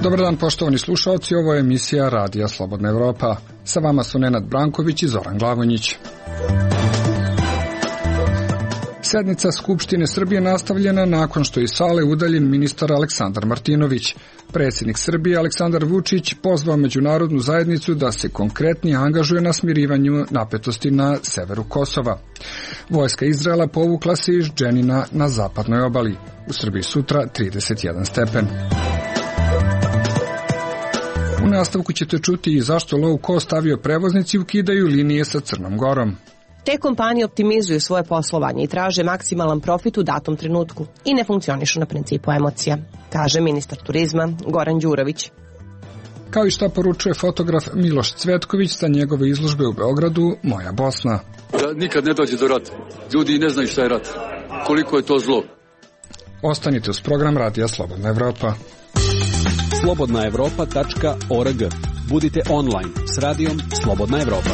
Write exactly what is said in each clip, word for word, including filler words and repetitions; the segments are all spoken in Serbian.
Dobar dan, poštovani slušalci, ovo je emisija Radija Slobodna Evropa. Sa vama su Nenad Branković i Zoran Glavonjić. Sednica Skupštine Srbije nastavljena nakon što je iz sale udaljen ministar Aleksandar Martinović. Predsjednik Srbije Aleksandar Vučić pozvao međunarodnu zajednicu da se konkretnije angažuje na smirivanju napetosti na severu Kosova. Vojska Izraela povukla se iz Dženina na zapadnoj obali. U Srbiji sutra trideset jedan stepen. U nastavku ćete čuti i zašto low cost avioprevoznici ukidaju linije sa Crnom Gorom. Te kompanije optimizuju svoje poslovanje i traže maksimalan profit u datom trenutku i ne funkcionišu na principu emocija, kaže ministar turizma Goran Đurović. Kao i šta poručuje fotograf Miloš Cvetković sa njegove izložbe u Beogradu Moja Bosna. Da nikad ne dođe do rata. Ljudi ne znaju šta je rat. Koliko je to zlo. Ostanite uz program Radija Slobodna Evropa. slobodna evropa tačka org. Budite online s radijom Slobodna Evropa.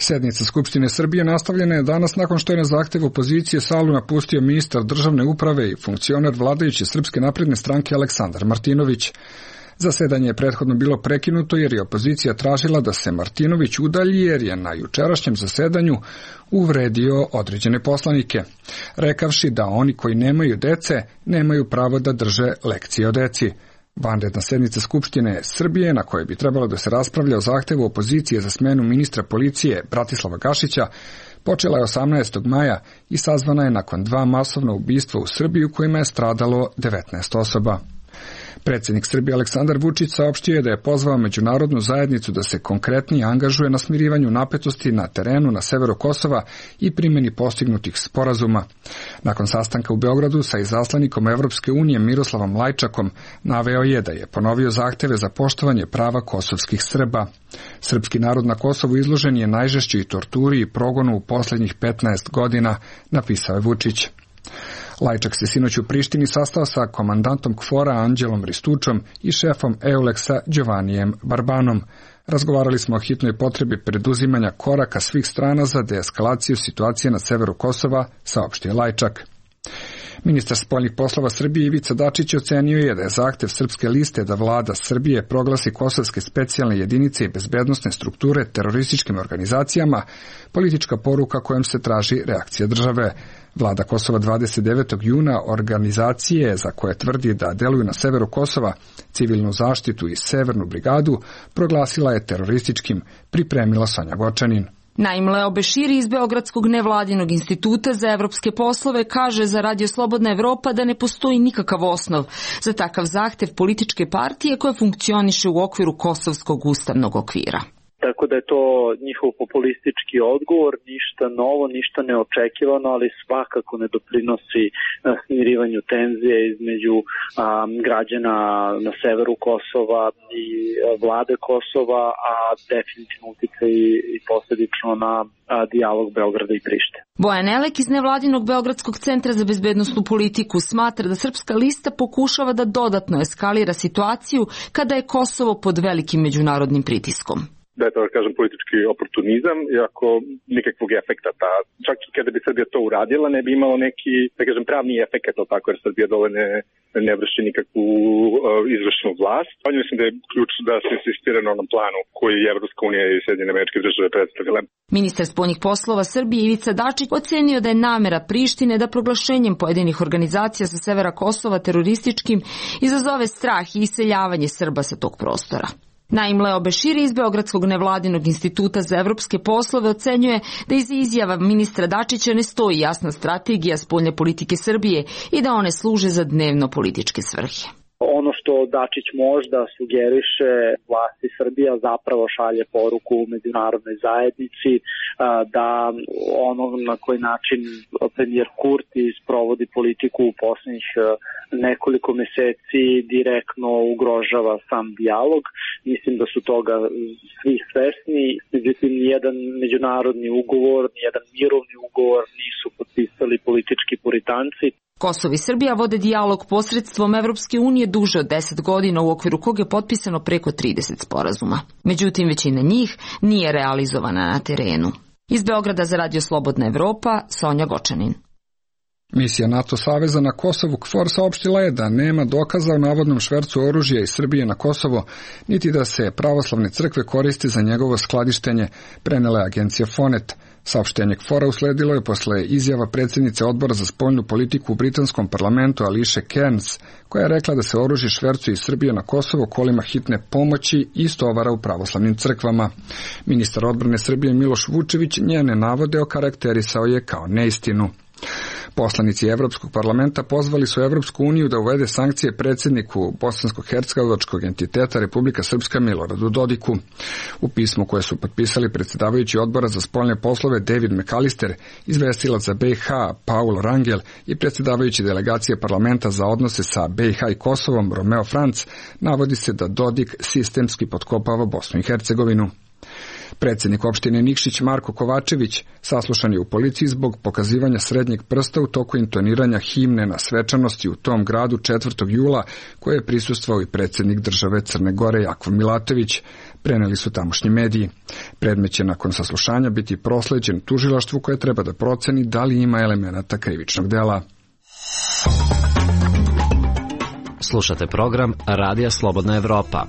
Sednica Skupštine Srbije nastavljena je danas nakon što je na zahtev opozicije salu napustio ministar državne uprave i funkcioner vladajuće Srpske napredne stranke Aleksandar Martinović. Zasedanje je prethodno bilo prekinuto jer je opozicija tražila da se Martinović udalji jer je na jučerašnjem zasedanju uvredio određene poslanike, rekavši da oni koji nemaju dece nemaju pravo da drže lekcije o deci. Vanredna sednica Skupštine Srbije, na kojoj bi trebalo da se raspravlja o zahtevu opozicije za smenu ministra policije Bratislava Gašića, počela je osamnaestog maja i sazvana je nakon dva masovna ubistva u Srbiji u kojima je stradalo devetnaest osoba. Predsjednik Srbije Aleksandar Vučić saopštio je da je pozvao međunarodnu zajednicu da se konkretnije angažuje na smirivanju napetosti na terenu na severu Kosova i primjeni postignutih sporazuma. Nakon sastanka u Beogradu sa izaslanikom Evropske unije Miroslavom Lajčakom naveo je da je ponovio zahteve za poštovanje prava kosovskih Srba. Srpski narod na Kosovu izložen je najžešćoj torturi i progonu u posljednjih petnaest godina, napisao je Vučić. Lajčak se sinoć u Prištini sastao sa komandantom KFOR-a Anđelom Ristučom i šefom EULEX-a Giovannijem Barbanom. Razgovarali smo o hitnoj potrebi preduzimanja koraka svih strana za deeskalaciju situacije na severu Kosova, saopštio Lajčak. Ministar spoljnih poslova Srbije Ivica Dačić ocenio je da je zahtev Srpske liste da vlada Srbije proglasi kosovske specijalne jedinice i bezbednosne strukture terorističkim organizacijama politička poruka kojom se traži reakcija države. Vlada Kosova dvadeset devetog juna organizacije za koje tvrdi da deluju na severu Kosova, civilnu zaštitu i severnu brigadu, proglasila je terorističkim, pripremila Sonja Gočanin. Naim Leo Beširi iz Beogradskog nevladinog instituta za evropske poslove kaže za Radio Slobodna Evropa da ne postoji nikakav osnov za takav zahtev političke partije koja funkcioniše u okviru Kosovskog ustavnog okvira. Tako da je to njihov populistički odgovor, ništa novo, ništa neočekivano, ali svakako ne doprinosi smirivanju tenzije između a, građana na severu Kosova i vlade Kosova, a definitivno utiče i, i posljedično na a, dijalog Beograda i Prištine. Bojan Elek iz nevladinog Beogradskog centra za bezbednosnu politiku smatra da Srpska lista pokušava da dodatno eskalira situaciju kada je Kosovo pod velikim međunarodnim pritiskom. Da je to, da kažem, politički oportunizam, iako nikakvog efekta. Ta, čak i kada bi Srbija to uradila, ne bi imalo neki, da kažem, pravni efekt, tako jer Srbija dole ne, ne vrši nikakvu uh, izvršnu vlast. Pa mislim da je ključ da se insistira na onom planu koji je Evropska unija i Sjedinjene Američke Države predstavile. Ministar spoljnih poslova Srbije Ivica Dačić ocenio da je namera Prištine da proglašenjem pojedinih organizacija sa severa Kosova terorističkim izazove strah i iseljavanje Srba sa tog prostora. Naim Leo Beširi iz Beogradskog nevladinog instituta za evropske poslove ocenjuje da iz izjava ministra Dačića ne stoji jasna strategija spoljne politike Srbije i da one služe za dnevno političke svrhe. Ono što Dačić možda sugeriše vlasti Srbija zapravo šalje poruku u međunarodnoj zajednici da ono na koji način premijer Kurti sprovodi politiku u posljednjih nekoliko meseci direktno ugrožava sam dijalog. Mislim da su toga svi svesni. Međutim, nijedan međunarodni ugovor, nijedan mirovni ugovor nisu potpisali politički puritanci. Kosovo i Srbija vode dijalog posredstvom Evropske unije duže od deset godina u okviru kog je potpisano preko trideset sporazuma. Međutim, većina njih nije realizovana na terenu. Iz Beograda za Radio Slobodna Evropa, Sonja Gočanin. Misija NATO saveza na Kosovu KFOR saopštila je da nema dokaza o navodnom švercu oružja iz Srbije na Kosovo, niti da se pravoslavne crkve koriste za njegovo skladištenje, prenela je agencija Fonet. Saopštenje KFOR-a usledilo je posle izjava predsjednice odbora za spoljnu politiku u britanskom parlamentu Ališe Kearns, koja je rekla da se oružje švercuje iz Srbije na Kosovo kolima hitne pomoći i istovara u pravoslavnim crkvama. Ministar odbrane Srbije Miloš Vučević njene navode okarakterisao je kao neistinu. Poslanici Evropskog parlamenta pozvali su Evropsku uniju da uvede sankcije predsjedniku bosansko-hercegovačkog entiteta Republika Srpska Miloradu Dodiku. U pismu koje su potpisali predsjedavajući odbora za spoljne poslove David McAllister, izvestilac za B i H Paul Rangel i predsjedavajući delegacije parlamenta za odnose sa B i H i Kosovom Romeo Franc, navodi se da Dodik sistemski potkopava Bosnu i Hercegovinu. Predsjednik opštine Nikšić Marko Kovačević saslušan je u policiji zbog pokazivanja srednjeg prsta u toku intoniranja himne na svečanosti u tom gradu četvrtog jula, koje je prisustvovao i predsjednik države Crne Gore Jakov Milatović, preneli su tamošnji mediji. Predmet će nakon saslušanja biti prosleđen tužilaštvu koje treba da proceni da li ima elemenata krivičnog dela. Slušate program Radija Slobodna Evropa.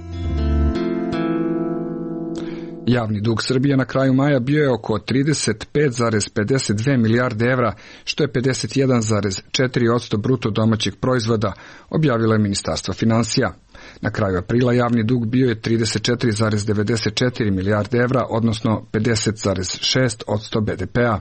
Javni dug Srbije na kraju maja bio je oko trideset pet zarez pedeset dve milijarde evra, što je pedeset jedan zarez četiri posto bruto domaćeg proizvoda, objavilo je Ministarstvo finansija. Na kraju aprila javni dug bio je trideset četiri zarez devedeset četiri milijarde evra, odnosno pedeset zarez šest posto be de pea.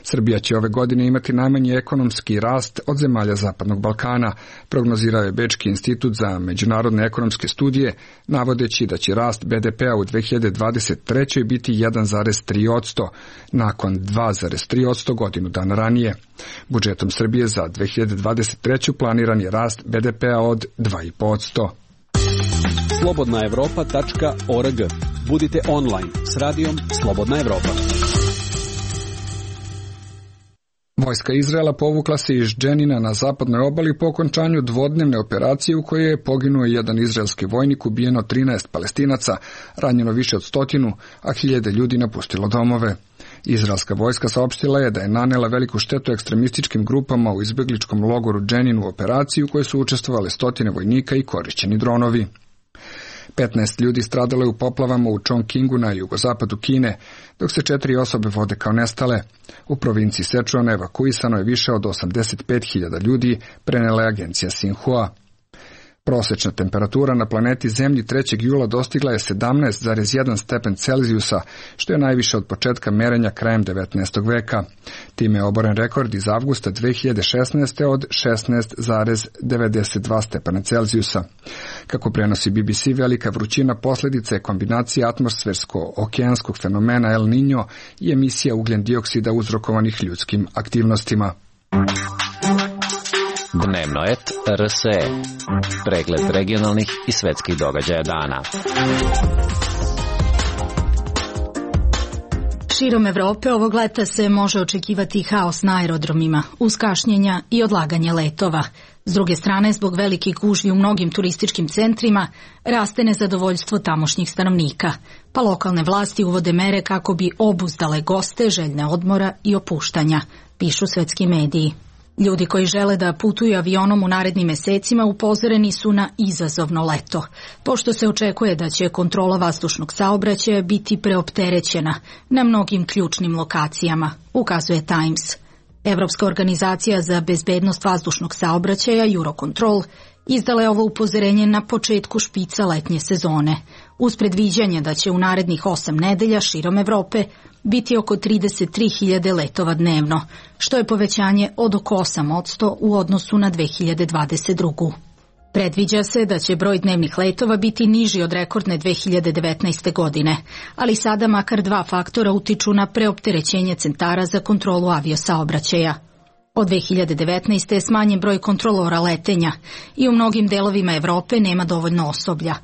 Srbija će ove godine imati najmanji ekonomski rast od zemalja Zapadnog Balkana, prognozirao je Bečki institut za međunarodne ekonomske studije, navodeći da će rast be de pea u dve hiljade dvadeset trećoj biti jedan zarez tri posto, nakon dva zarez tri posto godinu dana ranije. Budžetom Srbije za dve hiljade dvadeset treću planiran je rast be de pea od dva i po posto. slobodna evropa tačka org. Budite online s radijom Slobodna Evropa. Vojska Izraela povukla se iz Dženina na zapadnoj obali po okončanju dvodnevne operacije u kojoj je poginuo jedan izraelski vojnik, ubijeno trinaest Palestinaca, ranjeno više od stotinu, a hiljade ljudi napustilo domove. Izraelska vojska saopštila je da je nanela veliku štetu ekstremističkim grupama u izbegličkom logoru Dženin u operaciji u kojoj su učestvovale stotine vojnika i korišćeni dronovi. petnaest ljudi stradalo je u poplavama u Chongqingu na jugozapadu Kine, dok se četiri osobe vode kao nestale. U provinciji Sečuan evakuisano je više od osamdeset pet hiljada ljudi, prenela je agencija Sinhua. Prosečna temperatura na planeti Zemlji trećeg jula dostigla je sedamnaest zarez jedan stepen Celzijusa, što je najviše od početka merenja krajem devetnaestog veka. Time je oboren rekord iz avgusta dve hiljade šesnaeste. od šesnaest zarez devedeset dva stepena Celzijusa. Kako prenosi B B C, velika vrućina posljedica je kombinacija atmosfersko-okeanskog fenomena El Niño i emisija ugljen dioksida uzrokovanih ljudskim aktivnostima. Dnevno et R S E. Pregled regionalnih i svetskih događaja dana. Širom Evrope ovog leta se može očekivati haos na aerodromima, uz kašnjenja i odlaganje letova. S druge strane, zbog velikih gužvi u mnogim turističkim centrima, raste nezadovoljstvo tamošnjih stanovnika, pa lokalne vlasti uvode mere kako bi obuzdale goste željne odmora i opuštanja, pišu svetski mediji. Ljudi koji žele da putuju avionom u narednim mesecima upozoreni su na izazovno leto, pošto se očekuje da će kontrola vazdušnog saobraćaja biti preopterećena na mnogim ključnim lokacijama, ukazuje Times. Evropska organizacija za bezbednost vazdušnog saobraćaja Eurocontrol izdala je ovo upozorenje na početku špica letnje sezone, uz predviđanje da će u narednih osam nedelja širom Evrope biti oko trideset tri hiljade letova dnevno, što je povećanje od oko osam posto u odnosu na dve hiljade dvadeset drugu. Predviđa se da će broj dnevnih letova biti niži od rekordne dve hiljade devetnaeste. godine, ali sada makar dva faktora utiču na preopterećenje centara za kontrolu aviosaobraćaja. Od dve hiljade devetnaeste. je smanjen broj kontrolora letenja i u mnogim delovima Evrope nema dovoljno osoblja.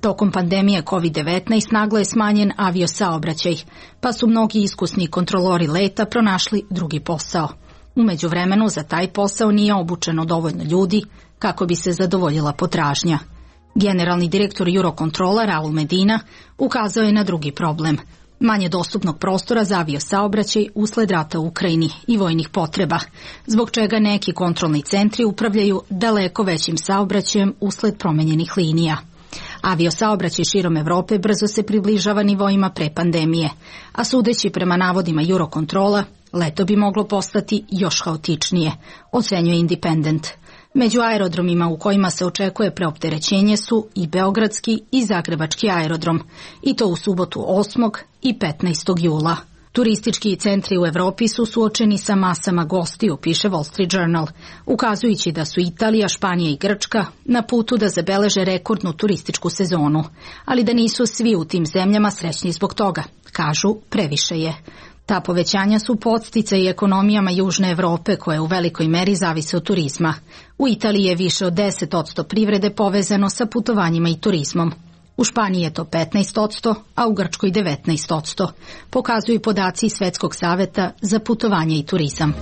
Tokom pandemije kovid devetnaest naglo je smanjen aviosaobraćaj, pa su mnogi iskusni kontrolori leta pronašli drugi posao. U međuvremenu za taj posao nije obučeno dovoljno ljudi kako bi se zadovoljila potražnja. Generalni direktor Eurocontrola Raul Medina ukazao je na drugi problem. Manje dostupnog prostora za aviosaobraćaj usled rata u Ukrajini i vojnih potreba, zbog čega neki kontrolni centri upravljaju daleko većim saobraćajem usled promenjenih linija. Aviosaobraćaj širom Evrope brzo se približava nivoima pre pandemije, a sudeći prema navodima Eurocontrola, leto bi moglo postati još haotičnije, ocenjuje Independent. Među aerodromima u kojima se očekuje preopterećenje su i beogradski i zagrebački aerodrom, i to u subotu osmog i petnaestog jula. Turistički centri u Evropi su suočeni sa masama gostiju, piše Wall Street Journal, ukazujući da su Italija, Španija i Grčka na putu da zabeleže rekordnu turističku sezonu, ali da nisu svi u tim zemljama srećni zbog toga. Kažu, previše je. Ta povećanja su podsticaj ekonomijama Južne Evrope koje u velikoj meri zavise od turizma. U Italiji je više od deset posto privrede povezano sa putovanjima i turizmom. U Španiji je to petnaest posto, a u Grčkoj devetnaest posto. Pokazuju podaci Svetskog saveta za putovanje i turizam.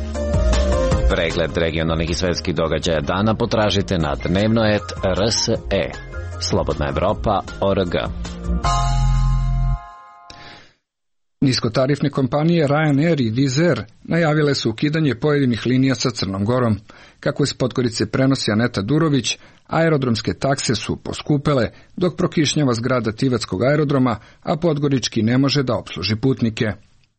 Pregled regionalnih i svetskih događaja dana potražite na dnevno et er es e. Slobodna Evropa tačka org. Niskotarifne kompanije Ryanair i Wizz Air najavile su ukidanje pojedinih linija sa Crnom Gorom. Kako iz Podgorice prenosi Aneta Durović, aerodromske takse su poskupele, dok prokišnjava zgrada Tivatskog aerodroma, a Podgorički ne može da opsluži putnike.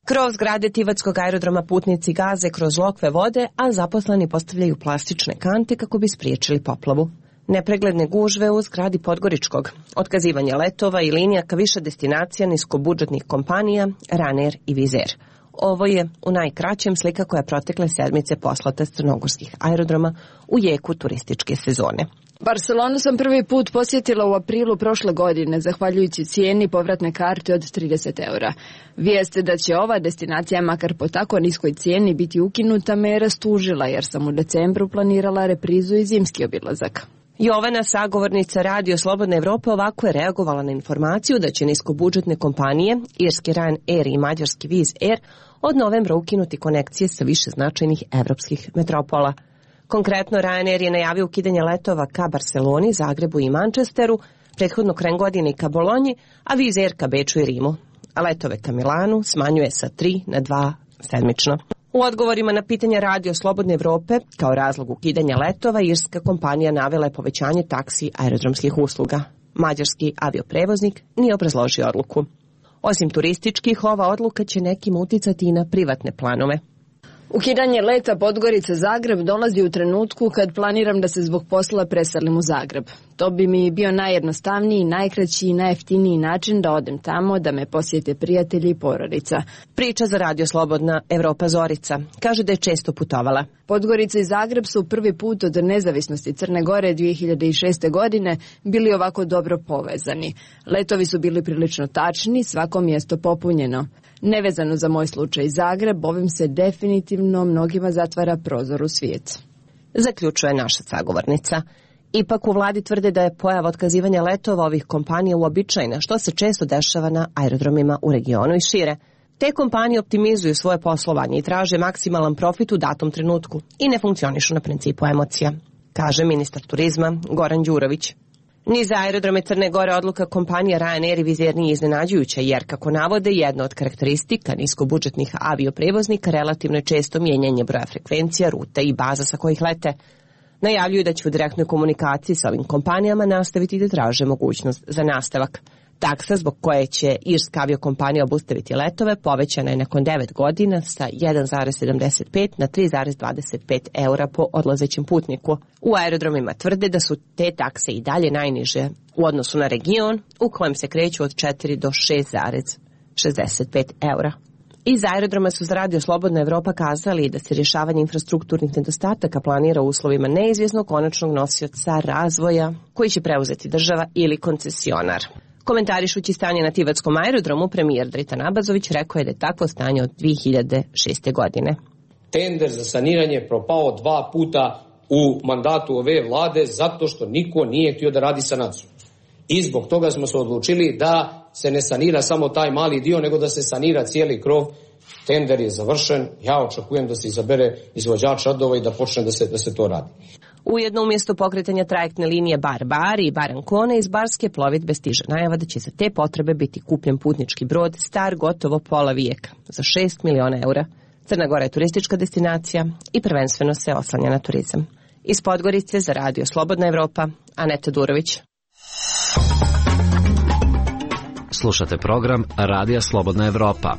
Kroz zgrade Tivatskog aerodroma putnici gaze kroz lokve vode, a zaposleni postavljaju plastične kante kako bi spriječili poplavu. Nepregledne gužve u zgradi Podgoričkog, otkazivanje letova i linija ka više destinacija niskobudžetnih kompanija Ryanair i Wizz Air. Ovo je u najkraćem slika koja protekle sedmice poslata s crnogorskih aerodroma u jeku turističke sezone. Barcelonu sam prvi put posjetila u aprilu prošle godine, zahvaljujući cijeni povratne karte od trideset eura. Vijest da će ova destinacija makar po tako niskoj cijeni biti ukinuta me je rastužila, jer sam u decembru planirala reprizu i zimski obilazak. Jovana, sagovornica Radio Slobodna Evropa, ovako je reagovala na informaciju da će niskobudžetne kompanije, irski Ryanair i mađarski Wizz Air, od novembra ukinuti konekcije sa više značajnih evropskih metropola. Konkretno, Ryanair je najavio ukidanje letova ka Barceloni, Zagrebu i Manchesteru, prethodno krajem godine ka Bolonji, a Wizz Air ka Beču i Rimu. A letove ka Milanu smanjuje sa tri na dva sedmično. U odgovorima na pitanja Radio Slobodne Evrope, kao razlog ukidanja letova, irska kompanija navela je povećanje taksi aerodromskih usluga. Mađarski avioprevoznik nije obrazložio odluku. Osim turističkih, ova odluka će nekim uticati i na privatne planove. Ukidanje leta Podgorica-Zagreb dolazi u trenutku kad planiram da se zbog posla preselim u Zagreb. To bi mi bio najjednostavniji, najkraći i najjeftiniji način da odem tamo, da me posjete prijatelji i porodica. Priča za Radio Slobodna Evropa Zorica. Kaže da je često putovala. Podgorica i Zagreb su prvi put od nezavisnosti Crne Gore dvije hiljade šeste. godine bili ovako dobro povezani. Letovi su bili prilično tačni, svako mjesto popunjeno. Nevezano za moj slučaj Zagreb, ovim se definitivno mnogima zatvara prozor u svijet. Zaključuje naša sagovornica. Ipak u vladi tvrde da je pojava otkazivanja letova ovih kompanija uobičajena, što se često dešava na aerodromima u regionu i šire. Te kompanije optimizuju svoje poslovanje i traže maksimalan profit u datom trenutku i ne funkcionišu na principu emocija, kaže ministar turizma Goran Đurović. Ni za aerodrome Crne Gore odluka kompanija Ryanair i Wizz Air nije iznenađujuća, jer, kako navode, jedna od karakteristika niskobudžetnih avioprevoznika relativno je često mijenjanje broja frekvencija, ruta i baza sa kojih lete. Najavljuju da će u direktnoj komunikaciji sa ovim kompanijama nastaviti da traže mogućnost za nastavak. Taksa zbog koje će irska aviokompanija obustaviti letove povećana je nakon devet godina sa jedan zarez sedamdeset pet na tri zarez dvadeset pet eura po odlazećem putniku. U aerodromima tvrde da su te takse i dalje najniže u odnosu na region, u kojem se kreću od četiri do šest zarez šezdeset pet eura. Iz aerodroma su za Radio Slobodna Evropa kazali da se rješavanje infrastrukturnih nedostataka planira u uslovima neizvjesnog konačnog nosioca razvoja koji će preuzeti država ili koncesionar. Komentarišući stanje na Tivatskom aerodromu, premijer Dritan Abazović rekao je da je takvo stanje od dvije hiljade šeste. godine. Tender za saniranje propao dva puta u mandatu ove vlade zato što niko nije htio da radi sanaciju. I zbog toga smo se odlučili da se ne sanira samo taj mali dio, nego da se sanira cijeli krov. Tender je završen, ja očekujem da se izabere izvođač radova i da počne da se, da se to radi. Ujedno umjesto pokretanja trajektne linije Bar-Bar i Bar-Ancona iz barske plovidbe stiže najava da će za te potrebe biti kupljen putnički brod star gotovo pola vijeka za šest miliona eura. Crna Gora je turistička destinacija i prvenstveno se oslanja na turizam. Iz Podgorice za radio Slobodna Evropa, Aneta Durović. Slušate program Radija Slobodna Evropa.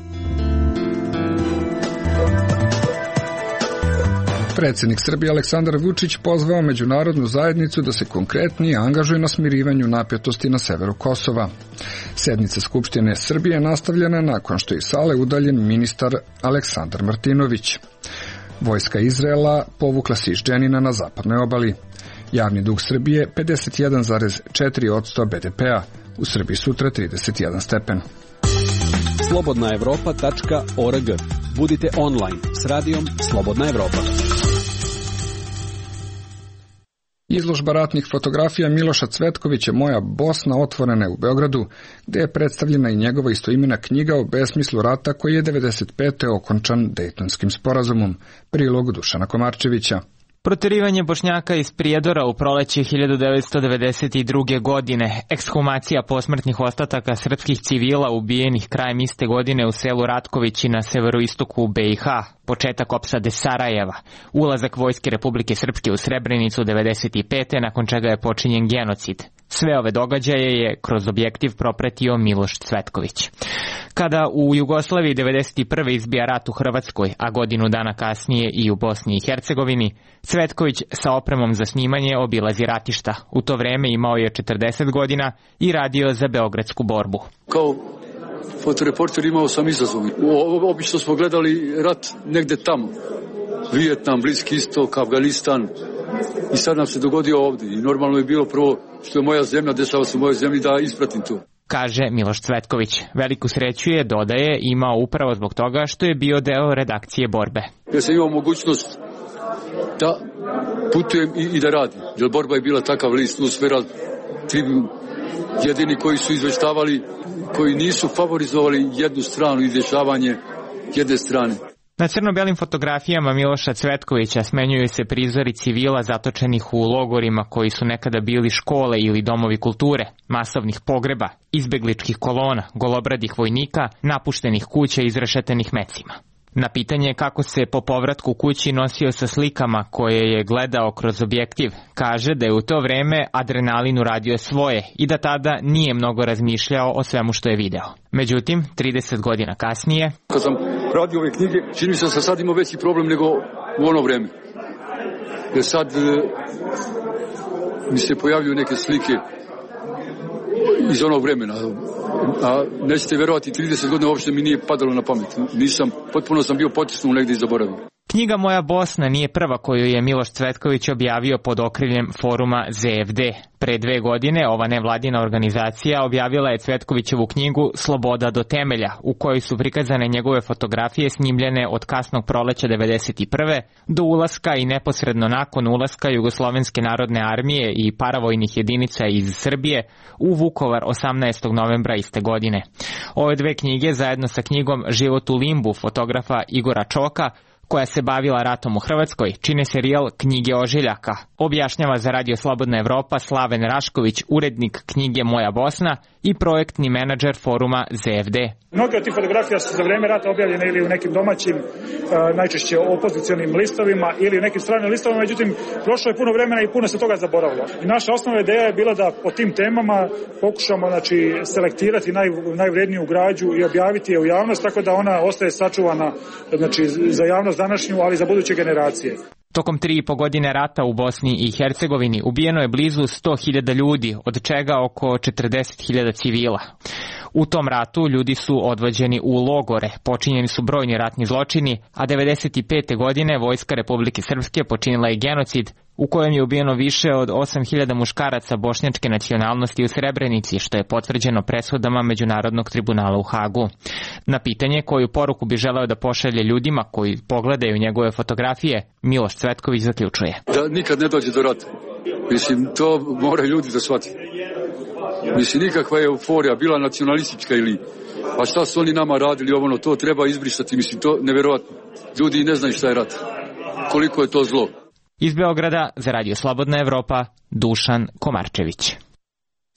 Predsjednik Srbije Aleksandar Vučić pozvao međunarodnu zajednicu da se konkretnije angažuje na smirivanju napetosti na severu Kosova. Sednica Skupštine Srbije nastavljena nakon što je iz sale udaljen ministar Aleksandar Martinović. Vojska Izraela povukla se iz Dženina na zapadnoj obali. Javni dug Srbije pedeset jedan zarez četiri posto be de pea, u Srbiji sutra trideset jedan stepen. slobodna evropa tačka org. Budite online s radijom Slobodna Evropa. Izložba ratnih fotografija Miloša Cvetkovića Moja Bosna otvorena je u Beogradu, gde je predstavljena i njegova istoimena knjiga o besmislu rata koji je devedeset pete okončan Dejtonskim sporazumom. Prilog Dušana Komarčevića. Proterivanje Bošnjaka iz Prijedora u proleće hiljadu devetsto devedeset druge. godine, ekshumacija posmrtnih ostataka srpskih civila ubijenih krajem iste godine u selu Ratkovići na severoistoku be i ha, početak opsade Sarajeva, ulazak Vojske Republike Srpske u Srebrenicu devedeset pete. nakon čega je počinjen genocid. Sve ove događaje je kroz objektiv propratio Miloš Cvetković. Kada u Jugoslaviji devedeset prve. izbija rat u Hrvatskoj, a godinu dana kasnije i u Bosni i Hercegovini, Cvetković sa opremom za snimanje obilazi ratišta. U to vreme imao je četrdeset godina i radio za beogradsku borbu. Kao fotoreporter imao sam izazov. Obično smo gledali rat negde tamo. Vijetnam, Bliski istok, Afganistan. I sad nam se dogodio ovdje. I normalno je bilo prvo što je moja zemlja, dešava se u mojoj zemlji, da ispratim to. Kaže Miloš Cvetković. Veliku sreću je, dodaje, imao upravo zbog toga što je bio deo redakcije borbe. Ja sam imao mogućnost da putujem i, i da radim. Jer borba je bila takav list, Usfera, Tribun, jedini koji su izveštavali, koji nisu favorizovali jednu stranu i dešavanje jedne strane. Na crno-belim fotografijama Miloša Cvetkovića smenjuju se prizori civila zatočenih u logorima koji su nekada bili škole ili domovi kulture, masovnih pogreba, izbegličkih kolona, golobradih vojnika, napuštenih kuća izrešetenih mecima. Na pitanje kako se po povratku kući nosio sa slikama koje je gledao kroz objektiv, kaže da je u to vreme adrenalin uradio svoje i da tada nije mnogo razmišljao o svemu što je video. Međutim, trideset godina kasnije... Kad sam radio ove knjige, čini mi se da sam sad imao veći problem nego u ono vreme. Jer sad e, mi se pojavljuju neke slike iz onog vremena. A nećete verovati, trideset godina uopšte mi nije padalo na pamet. Nisam, potpuno sam bio potisnut negdje i zaboravio. Knjiga Moja Bosna nije prva koju je Miloš Cvetković objavio pod okriljem foruma ze ef de. Pre dve godine ova nevladina organizacija objavila je Cvetkovićevu knjigu Sloboda do temelja, u kojoj su prikazane njegove fotografije snimljene od kasnog proleća devedeset prve. do ulaska i neposredno nakon ulaska Jugoslovenske narodne armije i paravojnih jedinica iz Srbije u Vukovar osamnaestog novembra iste godine. Ove dve knjige zajedno sa knjigom Život u limbu fotografa Igora Čoka, koja se bavila ratom u Hrvatskoj, čine serijal Knjige ožiljaka. Objašnjava za Radio Slobodna Evropa Slaven Rašković, urednik knjige Moja Bosna i projektni menadžer foruma ze ef de. Mnoge od tih fotografija su za vreme rata objavljene ili u nekim domaćim, najčešće opozicionim listovima ili u nekim stranim listovima, međutim, prošlo je puno vremena i puno se toga zaboravilo. I naša osnovna ideja je bila da po tim temama pokušamo, znači, selektirati naj, najvredniju građu i objaviti je u javnost, tako da ona ostaje sačuvana, znači, za javnost današnju, ali za buduće generacije. Tokom tri i po godine rata u Bosni i Hercegovini ubijeno je blizu sto hiljada ljudi, od čega oko četrdeset hiljada civila. U tom ratu ljudi su odvođeni u logore, počinjeni su brojni ratni zločini, a devedeset pete. godine Vojska Republike Srpske počinila je genocid u kojem je ubijeno više od osam hiljada muškaraca bošnjačke nacionalnosti u Srebrenici, što je potvrđeno presudama Međunarodnog tribunala u Hagu. Na pitanje koju poruku bi želeo da pošalje ljudima koji pogledaju njegove fotografije, Miloš Cvetković zaključuje. Da nikad ne dođe do rata. Mislim, to mora ljudi da shvati. Mislim, nikakva je euforija, bila nacionalistička ili... A šta su oni nama radili, ovo, to treba izbrisati. Mislim, to neverovatno. Ljudi ne znaju šta je rat. Koliko je to zlo. Iz Beograda za Radio Slobodna Evropa, Dušan Komarčević.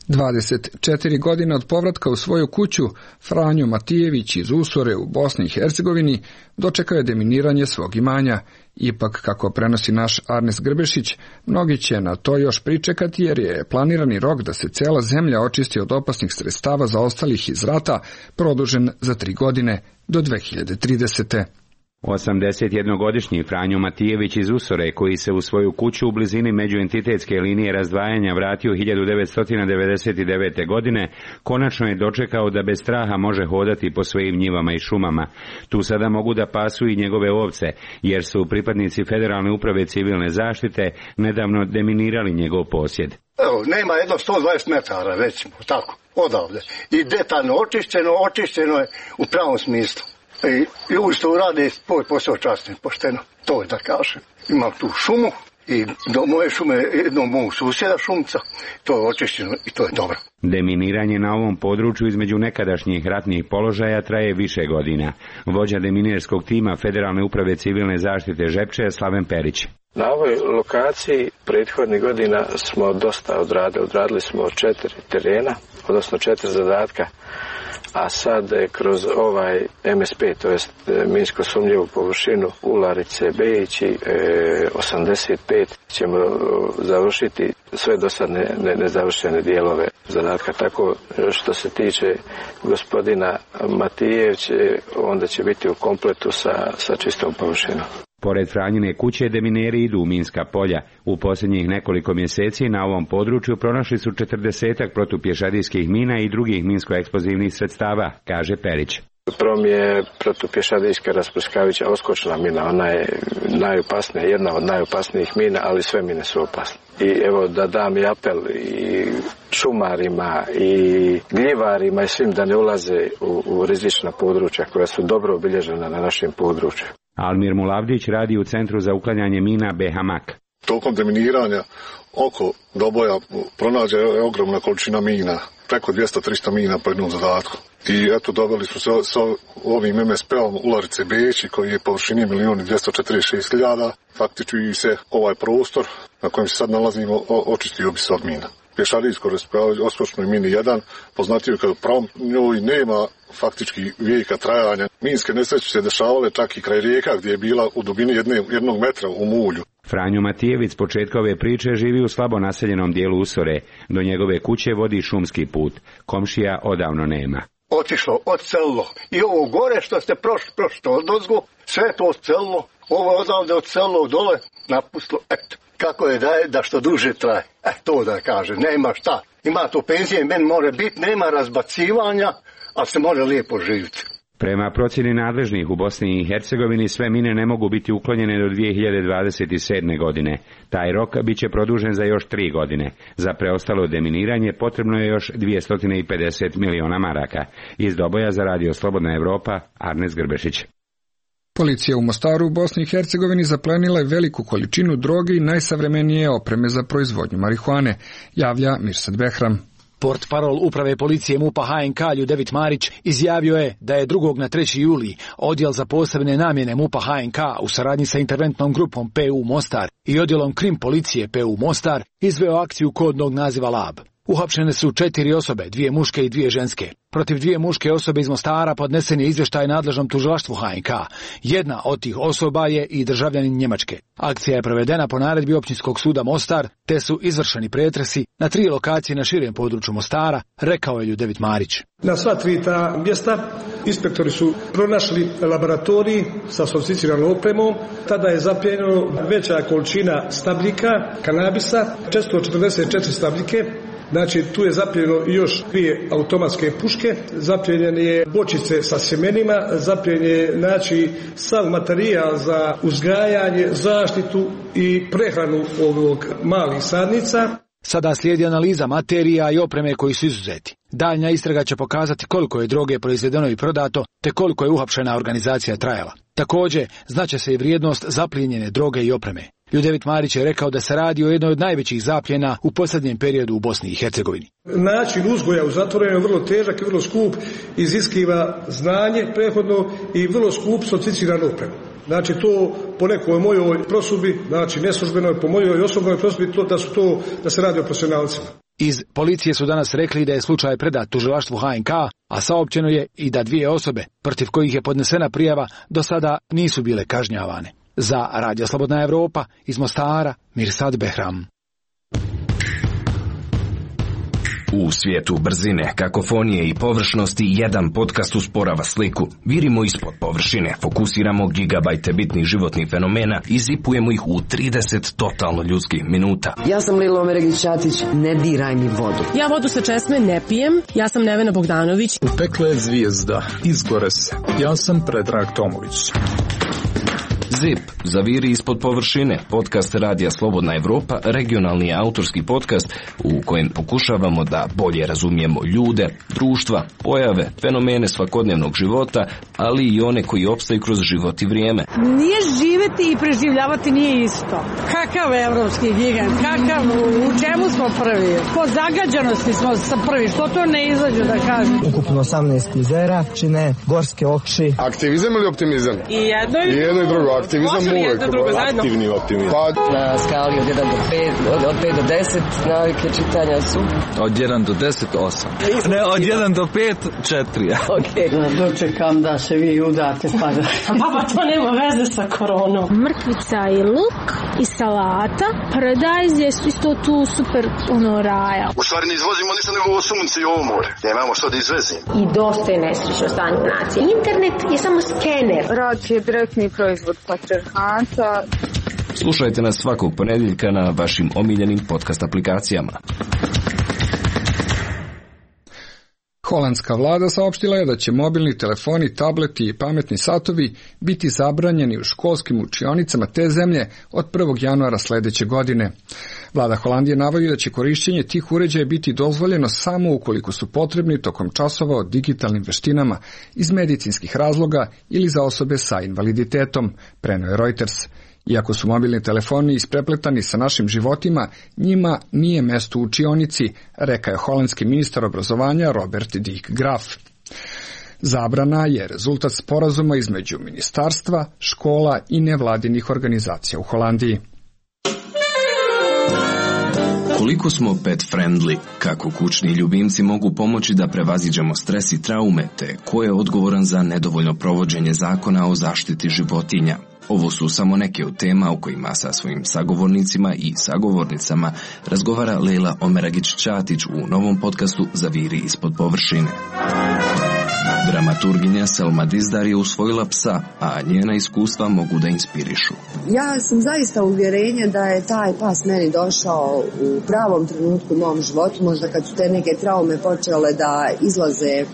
dvadeset četiri godine od povratka u svoju kuću, Franjo Matijević iz Usore u Bosni i Hercegovini dočekao je deminiranje svog imanja. Ipak, kako prenosi naš Arnes Grbešić, mnogi će na to još pričekati jer je planirani rok da se cela zemlja očisti od opasnih sredstava zaostalih iz rata produžen za tri godine do dve hiljade tridesete. osamdesetjednogodišnji Franjo Matijević iz Usore, koji se u svoju kuću u blizini međuentitetske linije razdvajanja vratio hiljadu devetsto devedeset devete. godine, konačno je dočekao da bez straha može hodati po svojim njivama i šumama. Tu sada mogu da pasu i njegove ovce, jer su pripadnici Federalne uprave civilne zaštite nedavno deminirali njegov posjed. Evo, nema jedno sto dvadeset metara, recimo, tako, odavde. I detaljno očišćeno, očišćeno je u pravom smislu. I ljudi što urade svoj posao časno, pošteno, to je da kažem. Imam tu šumu i do moje šume jednog mog susjeda šumca, to je očišćeno i to je dobro. Deminiranje na ovom području između nekadašnjih ratnih položaja traje više godina. Vođa deminirskog tima Federalne uprave civilne zaštite Žepče Slaven Perić. Na ovoj lokaciji prethodnih godina smo dosta odradili, odradili smo četiri terena, odnosno četiri zadatka. A sad kroz ovaj M S P, to jest minsko sumnjivu površinu Ularice Bejić i osamdeset pet ćemo završiti sve dosadne nezavršene dijelove zadatka. Tako što se tiče gospodina Matijevića, onda će biti u kompletu sa, sa čistom površinom. Pored Franjine kuće demineri idu u minska polja. U posljednjih nekoliko mjeseci na ovom području pronašli su četrdesetak protupješadijskih mina i drugih minsko-eksplozivnih sredstava, kaže Perić. Prvo mi je protupješadijska rasprskavića oskočna mina, ona je najopasnija, jedna od najopasnijih mina, ali sve mine su opasne. I evo da dam i apel i šumarima i gljivarima i svim da ne ulaze u, u rizična područja koja su dobro obilježena na našem području. Almir Mulavdić radi u Centru za uklanjanje mina B H M A K. Tokom deminiranja oko Doboja pronađe je ogromna količina mina, preko dvjesto do trista mina po jednom zadatku. I eto dobili smo se sa ovim M S P-om Ularice Bejić, koji je površini milijun dvjesto četrdeset šest hiljada. Faktički se ovaj prostor na kojem se sad nalazimo očistio bi se od mina. Pješadijsko raspravljanje oskočnoj mini jedan, poznatiju kao pravom, njoj nema faktički vijeka trajanja. Minske nesreće se dešavale čak i kraj rijeka gdje je bila u dubini jedne, jednog metra u mulju. Franjo Matijević s početka ove priče živi u slabo naseljenom dijelu Usore. Do njegove kuće vodi šumski put. Komšija odavno nema. Otišlo, odcelilo. I ovo gore što ste prošli, prošli odozgo, sve to odcelilo. Ovo odavde odcelilo dole, napustilo, eto. Kako je da je da što duže traje. E, to da kaže, nema šta. Ima to penzije, meni more biti, nema razbacivanja, ali se može lijepo živjeti. Prema procjeni nadležnih u Bosni i Hercegovini sve mine ne mogu biti uklonjene do dvije hiljade dvadeset sedme. godine. Taj rok bit će produžen za još tri godine. Za preostalo deminiranje potrebno je još dvjesto pedeset miliona maraka. Iz Doboja za Radio Slobodna Evropa, Arnes Grbešić. Policija u Mostaru u Bosni i Hercegovini zaplenila je veliku količinu droge i najsavremenije opreme za proizvodnju marihuane, javlja Mirsad Behram. Portparol uprave policije MUP-a H N K Ljudevit Marić izjavio je da je drugog na treći juli odjel za posebne namjene MUP-a H N K u saradnji sa interventnom grupom P U Mostar i odjelom Krim policije P U Mostar izveo akciju kodnog naziva Lab. Uhapšene su četiri osobe, dvije muške i dvije ženske. Protiv dvije muške osobe iz Mostara podnesen je izvještaj nadležnom tužilaštvu H N K. Jedna od tih osoba je i državljanin Njemačke. Akcija je provedena po naredbi Općinskog suda Mostar, te su izvršeni pretresi na tri lokacije na širem području Mostara, rekao je Ljudevit Marić. Na sva tri ta mjesta inspektori su pronašli laboratorij sa sofisticiranom opremom. Tada je zaplijenjeno veća količina stabljika, kanabisa, četiristo četrdeset četiri stabljike. Znači, tu je zaplijenjeno još dvije automatske puške, zaplijenjene je bočice sa sjemenima, zaplijenjen je, znači, sav materijal za uzgajanje, zaštitu i prehranu ovog malih sadnica. Sada slijedi analiza materija i opreme koji su izuzeti. Daljnja istraga će pokazati koliko je droge proizvedeno i prodato, te koliko je uhapšena organizacija trajala. Također, znaće se i vrijednost zaplijenjene droge i opreme. Ljudevit Marić je rekao da se radi o jednoj od najvećih zapljena u posljednjem periodu u Bosni i Hercegovini. Način uzgoja u zatvorenju je vrlo težak i vrlo skup, iziskiva znanje prethodno i vrlo skup sofisticiranu opremu. Znači to po nekoj mojoj prosudbi, znači neslužbenoj, po mojoj osobnoj prosudbi, to, da su to, da se radi o profesionalcima. Iz policije su danas rekli da je slučaj predat tužilaštvu H N K, a saopćeno je i da dvije osobe, protiv kojih je podnesena prijava, do sada nisu bile kažnjavane. Za Radio Slobodna Evropa, iz Mostara, Mirsad Behram. U svijetu brzine, kakofonije i površnosti jedan podcast usporava sliku. Virimo ispod površine, fokusiramo gigabajte bitnih životnih fenomena i zipujemo ih u trideset totalno ljudskih minuta. Ja sam Lilo Omeregić-Ćatić, ne diraj mi vodu. Ja vodu sa česme ne pijem, ja sam Nevena Bogdanović. U pekle je zvijezda, izgore se. Ja sam Predrag Tomović. Zip, zaviri ispod površine, podcast Radija Slobodna Evropa, regionalni autorski podcast u kojem pokušavamo da bolje razumijemo ljude, društva, pojave, fenomene svakodnevnog života, ali i one koji opstaju kroz život i vrijeme. Nije živeti i preživljavati nije isto. Kakav evropski gigant, kakav, u čemu smo prvi? Po zagađanosti smo prvi, što to ne izađu da kažem? Ukupno osamnaest jezera, čine gorske okši. Aktivizam ili optimizam? I jedno i, I jedno i drugo. Aktivizam može li jedno drugo zajedno? Aktivni optimizam. Pa, na skali od jedan do pet, od, od pet do deset, navike čitanja su? Od jedan do deset, osam. Ne, od jedan do pet, četiri. Okej. Okay. Dočekam da se vi udate pa da... Baba, to nema veze sa koronom. Mrkvica i luk i salata. Paradajz je isto tu super ono raja. U stvari ne izvozimo ništa nego sunce i ovo more. Nemamo što da izvezimo. I dosta je nesrećno stanje u naciji. Internet je samo skener. Rad je direktni proizvod patrijarhata. Slušajte nas svakog ponedjeljka na vašim omiljenim podcast aplikacijama. Holandska vlada saopštila je da će mobilni telefoni, tableti i pametni satovi biti zabranjeni u školskim učionicama te zemlje od prvog januara sljedeće godine. Vlada Holandije navodi da će korišćenje tih uređaja biti dozvoljeno samo ukoliko su potrebni tokom časova o digitalnim veštinama iz medicinskih razloga ili za osobe sa invaliditetom, preneo je Reuters. Iako su mobilni telefoni isprepletani sa našim životima, njima nije mesto u učionici, rekao je holandski ministar obrazovanja Robert Dick Graf. Zabrana je rezultat sporazuma između ministarstva, škola i nevladinih organizacija u Holandiji. Koliko smo pet friendly, kako kućni ljubimci mogu pomoći da prevaziđemo stres i traume, te ko je odgovoran za nedovoljno provođenje zakona o zaštiti životinja? Ovo su samo neke od tema o kojima sa svojim sagovornicima i sagovornicama razgovara Lejla Omeragić-Ćatić u novom podcastu Zaviri ispod površine. Dramaturginja Selma Dizdar je usvojila psa, a njena iskustva mogu da inspirišu. Ja sam zaista uvjerenja da je taj pas meni došao u pravom trenutku u mom životu, možda kad su te neke traume počele da izlaze e,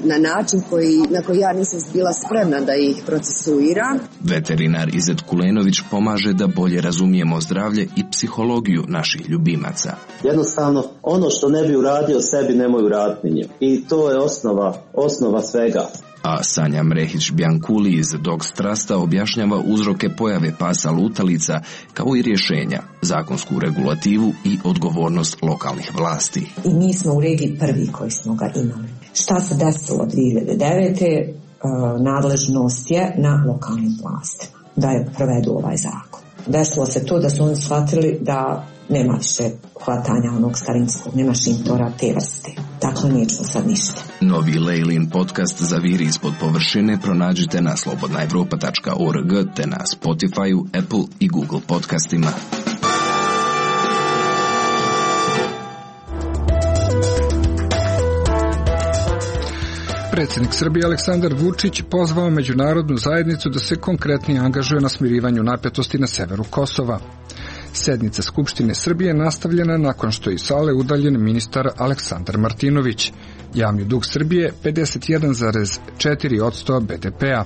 na način koji, na koji ja nisam bila spremna da ih procesuiram. Veterinar Izet Kulenović pomaže da bolje razumijemo zdravlje i psihologiju naših ljubimaca. Jednostavno, ono što ne bi uradio sebi, nemoj uraditi njim. I to je osnova, osnova svega. A Sanja Mrehić-Bjankuli iz Dogs Trusta objašnjava uzroke pojave pasa lutalica, kao i rješenja, zakonsku regulativu i odgovornost lokalnih vlasti. I mi smo u regiji prvi koji smo ga imali. Šta se desilo dvije hiljade devete. Nadležnost je na lokalnim vlastima da je provedu ovaj zakon. Desilo se to da su oni shvatili da nema više hvatanja onog starinskog, nema šintora te vrste. Dakle, nije čuo sad ništa. Novi Lejlin podcast Zaviri ispod površine pronađite na slobodna evropa tačka org te na Spotify, Apple i Google podcastima. Predsjednik Srbije Aleksandar Vučić pozvao međunarodnu zajednicu da se konkretnije angažuje na smirivanju napetosti na severu Kosova. Sednica Skupštine Srbije nastavljena nakon što je iz sale udaljen ministar Aleksandar Martinović. Javni dug Srbije pedeset jedan zarez četiri posto be de pea.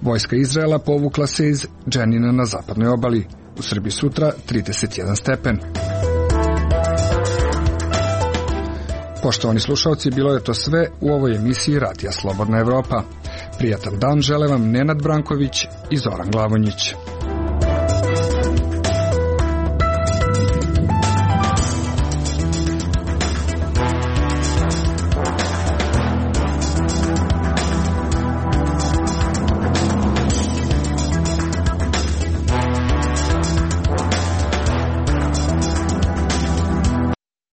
Vojska Izraela povukla se iz Dženina na zapadnoj obali. U Srbiji sutra trideset jedan stepen. Poštovani slušalci, bilo je to sve u ovoj emisiji Radija Slobodna Evropa. Prijatan dan žele vam Nenad Branković i Zoran Glavonjić.